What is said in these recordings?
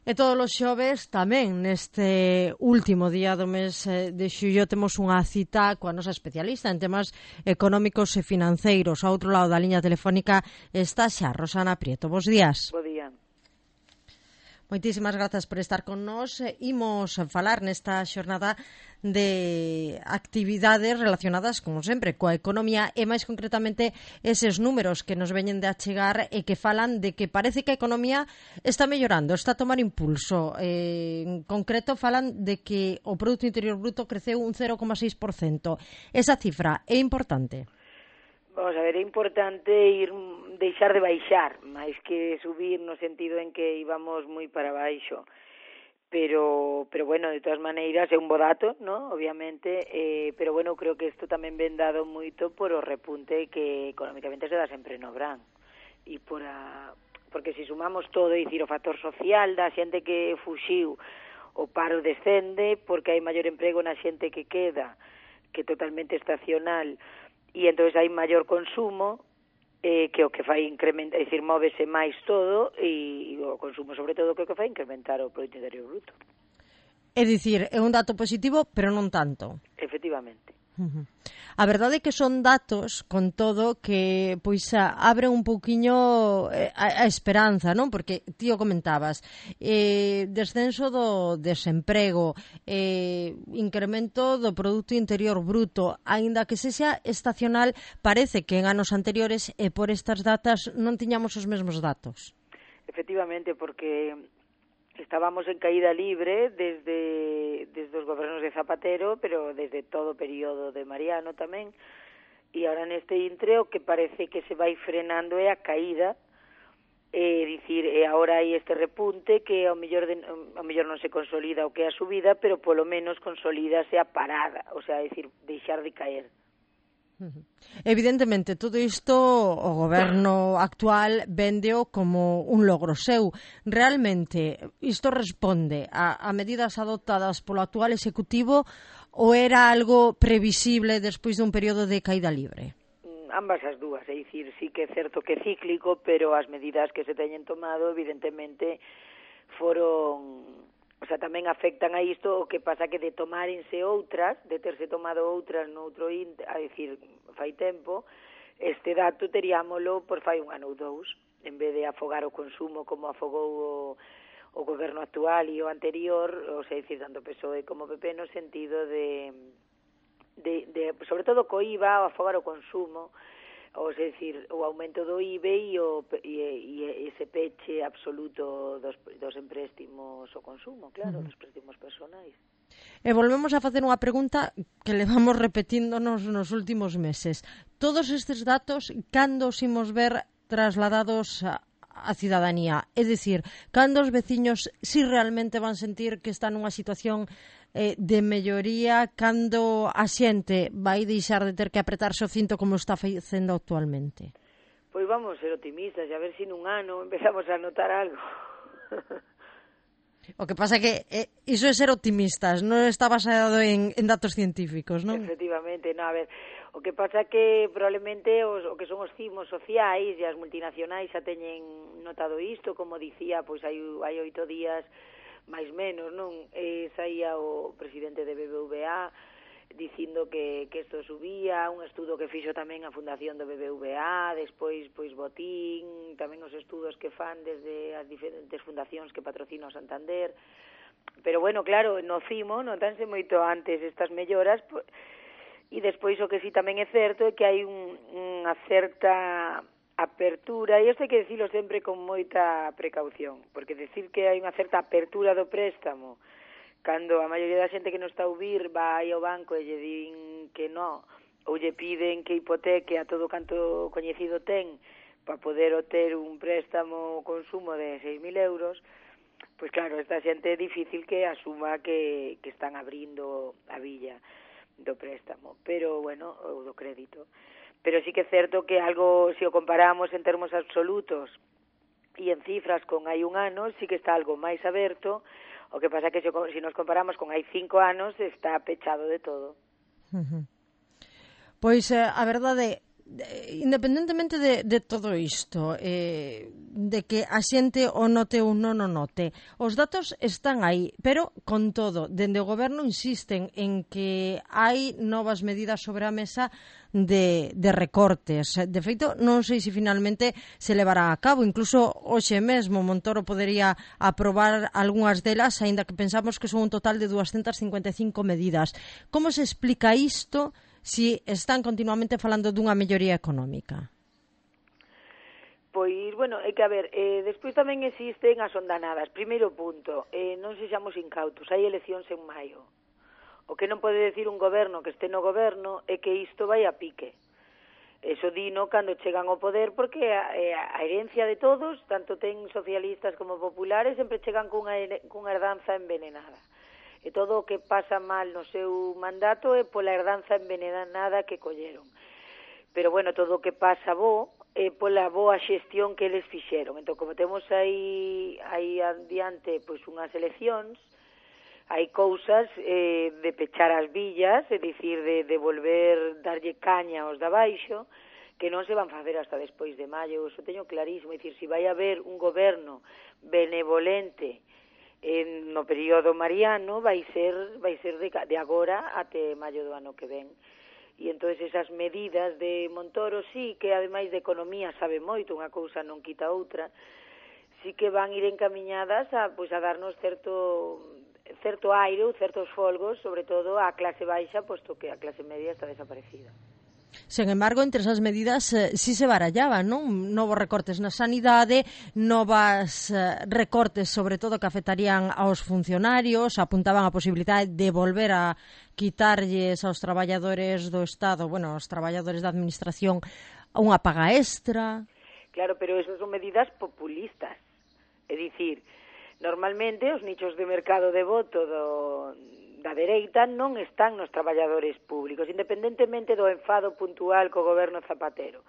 E todos os xoves tamén neste último día do mes de xullo temos unha cita coa nosa especialista en temas económicos e financeiros. Ao outro lado da liña telefónica está xa Rosana Prieto. Bos días. Bo día. Moitísimas grazas por estar con nós. Imos falar nesta xornada de actividades relacionadas, como sempre, coa economía e máis concretamente eses números que nos veñen de achegar e que falan de que parece que a economía está mellorando, está a tomar impulso. En concreto falan de que o Produto Interior Bruto creceu un 0,6%. Esa cifra é importante? Vamos a ver, é importante deixar de baixar, máis que subir no sentido en que íbamos moi para baixo. Pero bueno, de todas maneiras é un bo dato, ¿no? Obviamente, pero bueno, creo que isto tamén ven dado moito por o repunte que económicamente se dá sempre no verán. E porque se sumamos todo, é dicir, o factor social da xente que fuxiu, o paro descende porque hai maior emprego na xente que queda, que é totalmente estacional, e entón hai maior consumo, que o que fai incrementar, é dicir, móvese máis todo, e o consumo sobre todo que o que fai incrementar o Produto Interior Bruto. É dicir, é un dato positivo, pero non tanto. Efectivamente. A verdade é que son datos, con todo, que pois abre un pouquiño a esperanza, non? Porque ti o comentabas, descenso do desemprego, incremento do Produto Interior Bruto, aínda que sexa estacional, parece que en anos anteriores e por estas datas non tiñamos os mesmos datos. Efectivamente, porque estábamos en caída libre desde os gobernos de Zapatero, pero desde todo o período de Mariano tamén, e agora neste intre o que parece que se vai frenando é a caída, dicir, e agora hai este repunte que ao mellor non se consolida o que é a subida, pero polo menos consolídase a parada, o sea, dicir, deixar de caer. Evidentemente, todo isto o goberno actual véndeo como un logro seu. Realmente, isto responde a medidas adoptadas polo actual executivo ou era algo previsible despois dun período de caída libre? Ambas as dúas, é dicir, sí que é certo que é cíclico, pero as medidas que se teñen tomado, evidentemente, foron... O sea, tamén afectan a isto, o que pasa que de tomárense outras, de terse tomado outras noutro a decir, fai tempo, este dato teríamolo por fai un ano ou dous, en vez de afogar o consumo como afogou o goberno actual e o anterior, o sea, decir, tanto PSOE como PP, no sentido de sobre todo co IVA, o afogar o consumo, ou é dicir, o aumento do IBE e ese peche absoluto dos empréstimos ao consumo, claro, dos préstimos personais. E volvemos a facer unha pregunta que levamos repetíndonos nos últimos meses. Todos estes datos, cando os imos ver trasladados a cidadanía? É dicir, cando os veciños si realmente van sentir que están nunha situación de melloría, cando a xente vai deixar de ter que apretarse o cinto como está facendo actualmente? Pois vamos ser optimistas e a ver se nun ano empezamos a notar algo. O que pasa é que iso é ser optimistas, non está basado en datos científicos, non? Efectivamente, non, a ver, o que pasa é que probablemente o que son os cimos sociais e as multinacionais xa teñen notado isto, como dicía, pois hai 8 días máis menos, non? Saía o presidente de BBVA dicindo que isto subía, un estudo que fixo tamén a fundación do BBVA, despois pois Botín, tamén os estudos que fan desde as diferentes fundacións que patrocina o Santander. Pero bueno, claro, no cimo notanse moito antes estas melloras, e despois o que sí tamén é certo é que hai unha certa apertura, e isto hai que dicilo sempre con moita precaución, porque decir que hai unha certa apertura do préstamo cando a maioría da xente que non está a ouvir vai ao banco e lle din que non, ou lle piden que hipoteque a todo canto coñecido ten para poder obter un préstamo consumo de 6.000 euros, pois claro, esta xente é difícil que asuma que están abrindo a villa do préstamo, pero bueno, ou do crédito. Pero sí que é certo que algo, se o comparamos en termos absolutos e en cifras con hai un ano, sí que está algo máis aberto. O que pasa que se nos comparamos con hai 5 anos, está pechado de todo. Pois a verdade independentemente de todo isto, de que a xente o note ou non o note, os datos están aí, pero con todo, dende o goberno insisten en que hai novas medidas sobre a mesa de recortes. De feito, non sei se finalmente se levará a cabo. Incluso hoxe mesmo Montoro podería aprobar algunhas delas, aínda que pensamos que son un total de 255 medidas. Como se explica isto si están continuamente falando dunha melloría económica? Pois, bueno, é que, a ver, despois tamén existen as ondanadas. Primeiro punto, non sexamos incautos, hai eleccións en maio. O que non pode decir un goberno que este no goberno é que isto vai a pique. Eso dino cando chegan ao poder, porque a herencia de todos, tanto ten socialistas como populares, sempre chegan cunha herdanza envenenada. E todo o que pasa mal no seu mandato é pola herdanza envenenada que colleron. Pero, bueno, todo o que pasa bo é pola boa xestión que eles fixeron. Entón, como temos aí adiante pois unhas eleccións, hai cousas de pechar as villas, é dicir, de volver darlle caña aos de abaixo, que non se van facer hasta despois de maio. Eso teño clarísimo. É dicir, se vai haber un goberno benevolente no período mariano, vai ser de agora até maio do ano que ven. E entón esas medidas de Montoro, sí, que ademais de economía sabe moito, unha cousa non quita outra, sí que van ir encamiñadas a darnos certo aire ou certos folgos, sobre todo á clase baixa, posto que a clase media está desaparecida. Sen embargo, entre esas medidas sí se barallaban, non? Novos recortes na sanidade, novas recortes, sobre todo, que afectarían aos funcionarios, apuntaban a posibilidade de volver a quitarlles aos traballadores do Estado, bueno, aos traballadores da Administración, unha paga extra. Claro, pero esas son medidas populistas. É dicir, normalmente os nichos de mercado de voto da dereita non están nos traballadores públicos, independentemente do enfado puntual co goberno Zapatero.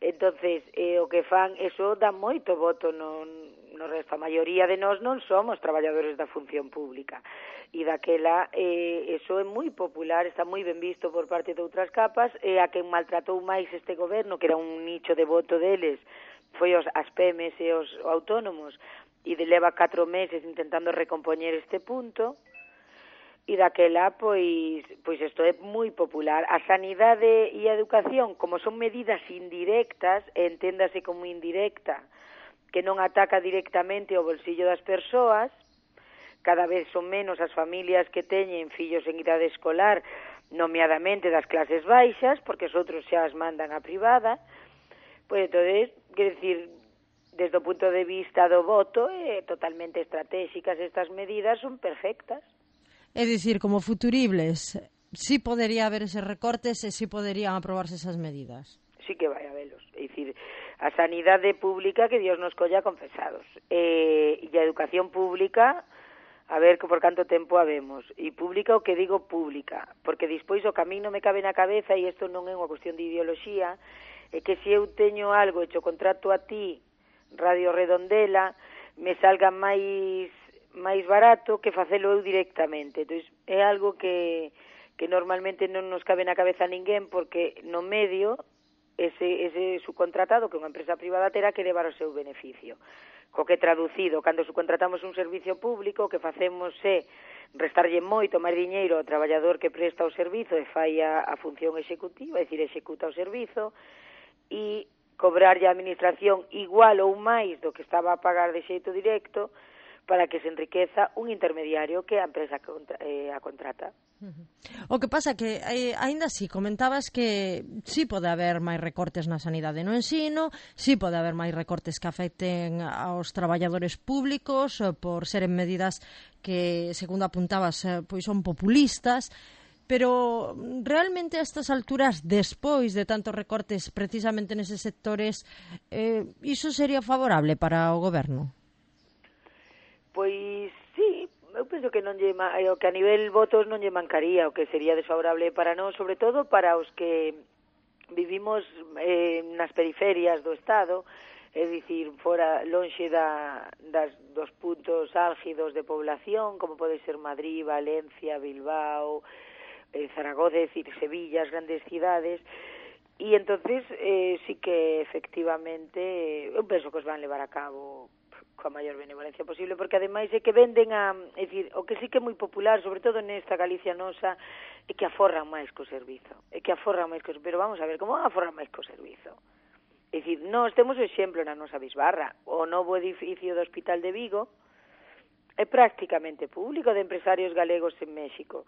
Entonces, o que fan, eso dá moito voto no resto. A maioría de nós non somos traballadores da función pública. E daquela, eso é moi popular, está moi ben visto por parte de outras capas, e a quen maltratou máis este goberno, que era un nicho de voto deles, foi as PEMES e os autónomos, e leva 4 meses intentando recompoñer este punto. E daquela, pois isto é moi popular. A sanidade e a educación, como son medidas indirectas, enténdase como indirecta, que non ataca directamente o bolsillo das persoas, cada vez son menos as familias que teñen fillos en idade escolar, nomeadamente das clases baixas, porque os outros xa as mandan a privada, pois entonces, quer decir, desde o punto de vista do voto, totalmente estratégicas estas medidas, son perfectas. É dicir, como futuribles, sí podería haber eses recortes e sí poderían aprobarse esas medidas. Sí que vai habelos. É dicir, a sanidade pública que Dios nos colla confesados. E a educación pública, a ver por canto tempo habemos. E pública, o que digo pública, porque despois o camino me cabe na cabeza, e isto non é unha cuestión de ideoloxía, é que se eu teño algo hecho contrato a ti, Radio Redondela, me salga máis barato que facelo eu directamente. Entón, é algo que normalmente non nos cabe na cabeza a ninguén, porque no medio ese subcontratado, que é unha empresa privada, terá que levar o seu beneficio. Co que traducido, cando subcontratamos un servicio público, o que facemos é restarlle moito máis diñeiro ao traballador que presta o servizo e fai a función executiva, é dicir, executa o servizo, e cobrarlle a administración igual ou máis do que estaba a pagar de xeito directo, para que se enriqueza un intermediario que a empresa a contrata. O que pasa que, aínda así, comentabas que sí pode haber máis recortes na sanidade no ensino, sí pode haber máis recortes que afecten aos traballadores públicos por seren medidas que, segundo apuntabas, pois son populistas, pero realmente a estas alturas, despois de tantos recortes precisamente neses sectores, iso sería favorable para o goberno? Pois sí, eu penso que que a nivel votos non lle mancaría, o que sería desfavorable para nós, sobre todo para os que vivimos nas periferias do Estado, é dicir, fora lonxe dos puntos álgidos de población, como pode ser Madrid, Valencia, Bilbao, Zaragoza, é dicir, Sevilla, as grandes cidades, E entonces sí que efectivamente eu penso que os van levar a cabo coa maior benevolencia posible, porque ademais é que venden é dicir, o que sí que é moi popular, sobre todo nesta Galicia nosa, é que aforran máis co servizo, pero vamos a ver, como van a aforrar máis co servizo? É dicir, nós temos o exemplo na nosa bisbarra, o novo edificio do Hospital de Vigo é prácticamente público, de empresarios galegos en México,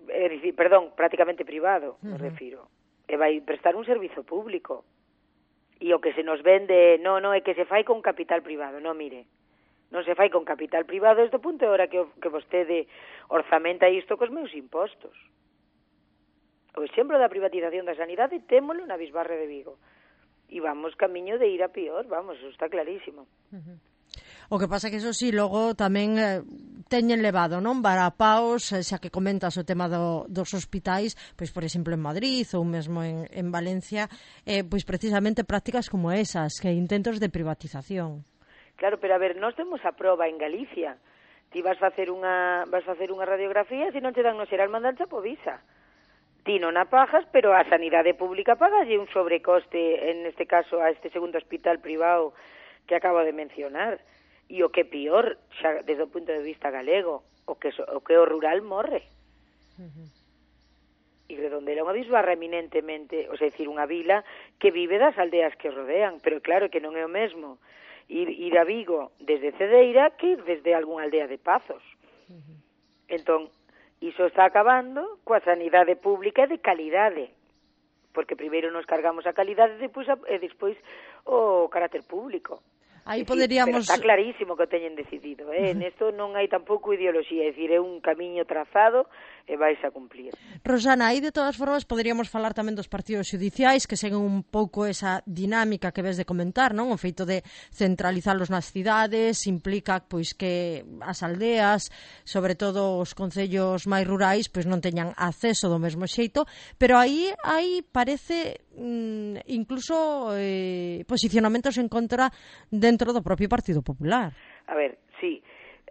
é dicir, perdón, prácticamente privado, me refiro, e vai prestar un servizo público. E o que se nos vende, non é que se fai con capital privado, non, mire, non se fai con capital privado desde o punto de hora que vostede orzamenta isto cos meus impostos. O exemplo da privatización da sanidade témolo na bisbarra de Vigo. E vamos camiño de ir a pior, vamos, eso está clarísimo. O que pasa que eso sí, logo tamén teñen levado, non, varapaos, xa que comentas o tema dos hospitais, pois por exemplo en Madrid ou mesmo en Valencia, pois precisamente prácticas como esas, que intentos de privatización. Claro, pero a ver, nós temos a proba en Galicia. Ti vas facer unha radiografía, se non te dan no xeral mandancha po visa. Ti non a pagas, pero a sanidade pública pagalle un sobrecoste, en este caso a este segundo hospital privado que acabo de mencionar. E o que pior, xa desde o punto de vista galego, o que o rural morre. E Redondela é unha bisbarra eminentemente, ou sea, decir, unha vila que vive das aldeas que rodean, pero claro que non é o mesmo ir a Vigo desde Cedeira que ir desde algunha aldea de Pazos. Entón, iso está acabando coa sanidade pública de calidade, porque primeiro nos cargamos a calidade e despois o carácter público. Aí poderíamos... Pero está clarísimo que o teñen decidido, Nesto non hai tampouco ideoloxía, é dicir, é un camiño trazado e vais a cumplir. Rosana, aí de todas formas poderíamos falar tamén dos partidos xudiciais que seguen un pouco esa dinámica que ves de comentar, non? O feito de centralizalos nas cidades implica pois que as aldeas, sobre todo os concellos máis rurais, pois non teñan acceso do mesmo xeito, pero aí parece incluso posicionamentos en contra dentro do propio Partido Popular. A ver, sí.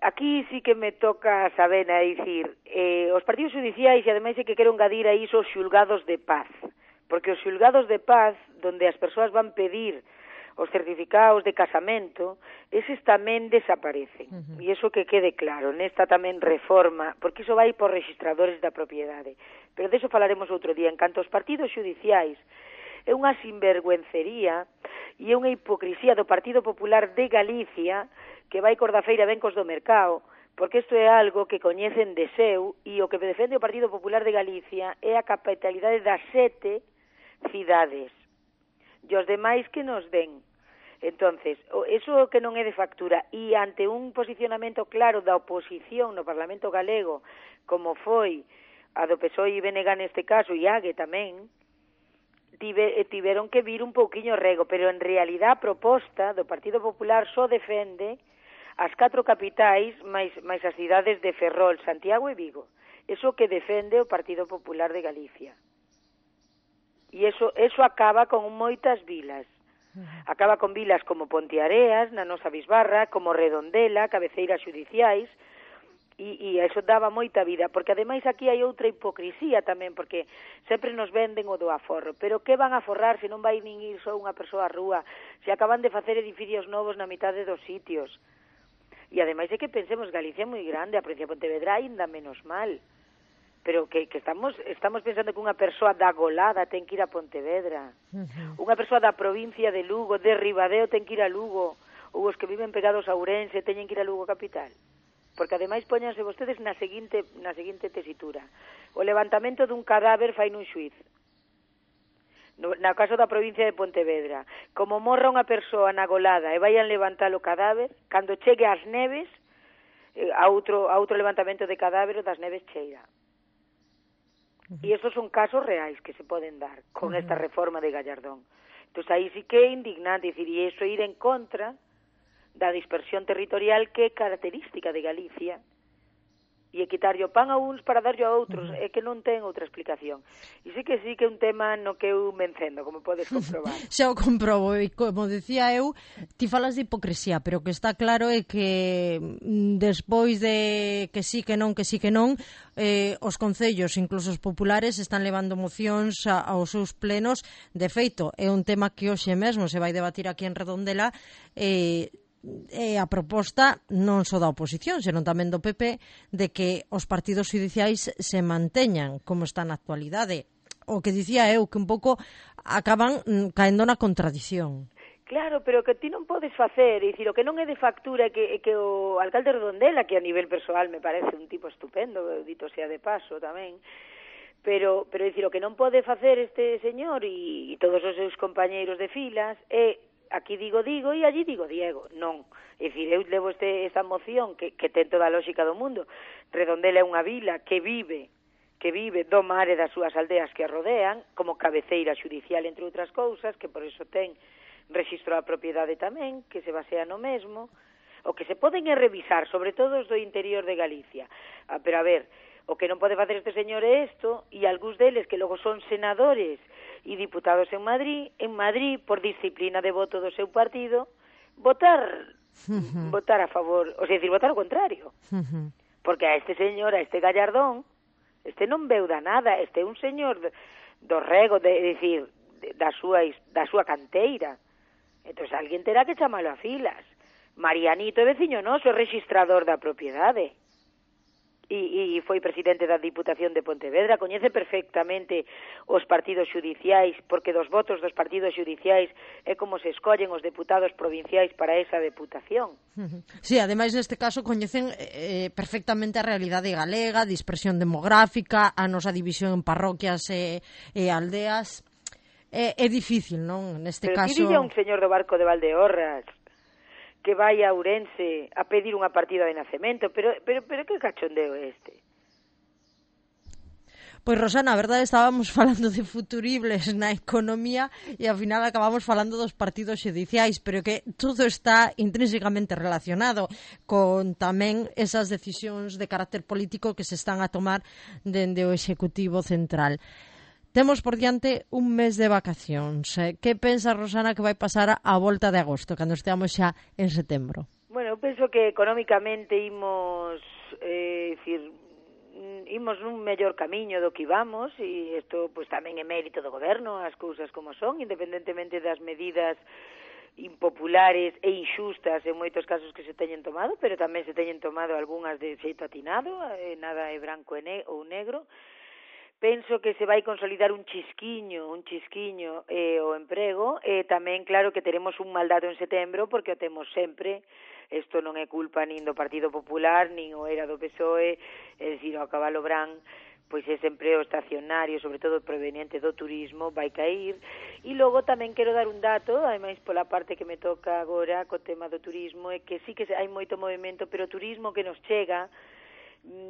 Aquí sí que me toca saber, a dicir, os partidos judiciais, e ademais é que quero engadir aí os xulgados de paz, porque os xulgados de paz, donde as persoas van pedir os certificados de casamento, eses tamén desaparecen. E iso que quede claro, nesta tamén reforma, porque iso vai por registradores da propiedade. Pero deso falaremos outro día. En canto aos partidos judiciais, é unha sinvergüencería e é unha hipocrisía do Partido Popular de Galicia que vai cor da feira ben cos do mercado, porque isto é algo que coñecen de seu e o que defende o Partido Popular de Galicia é a capitalidade das 7 cidades e os demais que nos den. Entonces, eso que non é de factura e ante un posicionamento claro da oposición no Parlamento galego, como foi a do PSOE e BNG neste caso, e AGE tamén, tiveron que vir un pouquiño rego, pero en realidad a proposta do Partido Popular só defende as 4 capitais máis as cidades de Ferrol, Santiago e Vigo. Eso que defende o Partido Popular de Galicia. E eso acaba con moitas vilas. Acaba con vilas como Ponteareas, na nosa bisbarra, como Redondela, cabeceiras xudiciais, e eso daba moita vida, porque ademais aquí hai outra hipocrisía tamén, porque sempre nos venden o do aforro, pero que van a aforrar se non vai nin ir só unha persoa á rúa, se acaban de facer edificios novos na mitade dos sitios. E ademais é que pensemos, Galicia é moi grande, a provincia de Pontevedra ainda menos mal, pero que estamos pensando que unha persoa da Golada ten que ir a Pontevedra, unha persoa da provincia de Lugo, de Ribadeo ten que ir a Lugo, ou os que viven pegados a Ourense teñen que ir a Lugo capital. Porque ademais poñanse vostedes na seguinte tesitura. O levantamento dun cadáver fai nun xuiz. No caso da provincia de Pontevedra, como morra unha persoa na Golada e vayan levantar o cadáver, cando chegue ás neves, a outro levantamento de cadáver das neves cheira. E estos son casos reais que se poden dar con esta reforma de Gallardón. Entón aí sí que é indignante, dicir, e iso ir en contra da dispersión territorial que é característica de Galicia e quitarlle o pan a uns para darlle a outros, é que non ten outra explicación. E sí que é un tema no que eu me encendo, como podes comprobar. Xa o comprobo, e como decía eu, ti falas de hipocresía, pero que está claro é que despois de que sí, que non, os concellos, incluso os populares, están levando mocións aos seus plenos. De feito, é un tema que hoxe mesmo se vai debatir aquí en Redondela, a proposta non só da oposición, senón tamén do PP, de que os partidos judiciais se manteñan como está na actualidade. O que dicía eu, que un pouco acaban caendo na contradición. Claro, pero que ti non podes facer, é dicir, o que non é de factura que o alcalde Redondela, que a nivel persoal me parece un tipo estupendo, dito sea de paso tamén, pero é dicir, o que non pode facer este señor e todos os seus compañeiros de filas é aquí digo e allí digo Diego. Non. É dicir, eu levo esta moción que ten toda a lógica do mundo. Redondela é unha vila que vive do mar e das súas aldeas que a rodean, como cabeceira xudicial, entre outras cousas, que por iso ten rexistro da propiedade tamén, que se basea no mesmo, o que se poden revisar, sobre todo os do interior de Galicia. Pero a ver, o que non pode facer este señor é isto, e algúns deles que logo son senadores e diputados en Madrid, por disciplina de voto do seu partido, votar a favor, o sea, decir, votar ao contrario. Porque a este señor, a este Gallardón, este non veu da nada, este é un señor do rego, decir, da súa canteira. Entón, alguén terá que chamalo a filas. Marianito é veciño noso, é registrador da propiedade. E foi presidente da Diputación de Pontevedra, coñece perfectamente os partidos xudiciais, porque dos votos dos partidos xudiciais é como se escollen os deputados provinciais para esa deputación. Sí, ademais neste caso coñecen perfectamente a realidade galega, a dispersión demográfica, a nosa división en parroquias e aldeas. É difícil, non? Neste caso... Pero que dilla un señor do barco de Valdeorras que vai a Ourense a pedir unha partida de nacemento, pero que cachondeo é este? Pois, Rosana, a verdade, estábamos falando de futuribles na economía e ao final acabamos falando dos partidos xudiciais, pero que todo está intrínsecamente relacionado con tamén esas decisións de carácter político que se están a tomar dende o Executivo Central. Temos por diante un mes de vacacións. Que pensa, Rosana, que vai pasar a volta de agosto, cando esteamos xa en setembro? Bueno, eu penso que económicamente imos nun mellor camiño do que íbamos, e isto pues, tamén é mérito do goberno, as cousas como son, independentemente das medidas impopulares e inxustas en moitos casos que se teñen tomado, pero tamén se teñen tomado algunhas de xeito atinado, nada é branco ou negro. Penso que se vai consolidar un chisquiño o emprego, e tamén claro que teremos un mal dato en setembro, porque o temos sempre. Isto non é culpa nin do Partido Popular, nin o era do PSOE, é dicir, ao cabalo brán, pois ese emprego estacionario, sobre todo proveniente do turismo, vai cair. E logo tamén quero dar un dato, ademais pola parte que me toca agora co tema do turismo, é que sí que hai moito movimento, pero o turismo que nos chega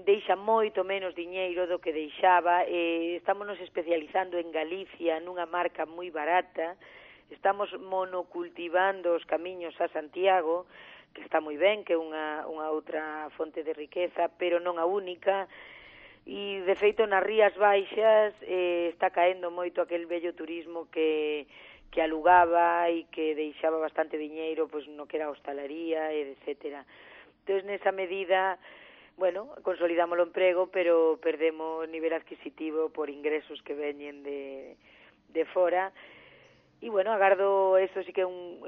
deixa moito menos diñeiro do que deixaba. Estamos nos especializando en Galicia nunha marca moi barata, estamos monocultivando os camiños a Santiago, que está moi ben, que é unha outra fonte de riqueza, pero non a única, e de feito nas Rías Baixas está caendo moito aquel bello turismo que alugaba e que deixaba bastante diñeiro pois no que era a hostalería, etcétera. Entón, nesa medida, bueno, consolidamos o emprego, pero perdemos nivel adquisitivo por ingresos que veñen de fora. E, bueno, agardo, eso sí que é un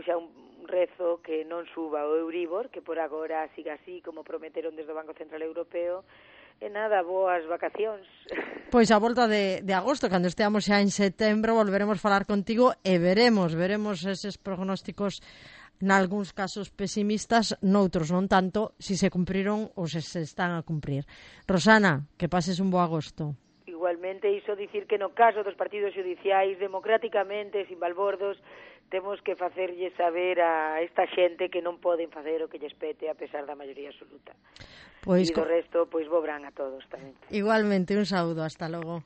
rezo, que non suba o Euribor, que por agora siga así, como prometeron desde o Banco Central Europeo. E nada, boas vacacións. Pois a volta de agosto, cando esteamos xa en setembro, volveremos falar contigo e veremos eses prognósticos nalgúns casos pesimistas, noutros non tanto, si se cumpriron ou se están a cumprir. Rosana, que pases un bo agosto. Igualmente, iso dicir que no caso dos partidos judiciais, democráticamente, sin balbordos, temos que facerlle saber a esta xente que non poden facer o que lles pete a pesar da maioría absoluta. Pois, e do resto, pois bo verán a todos tamén. Igualmente, un saúdo, hasta logo.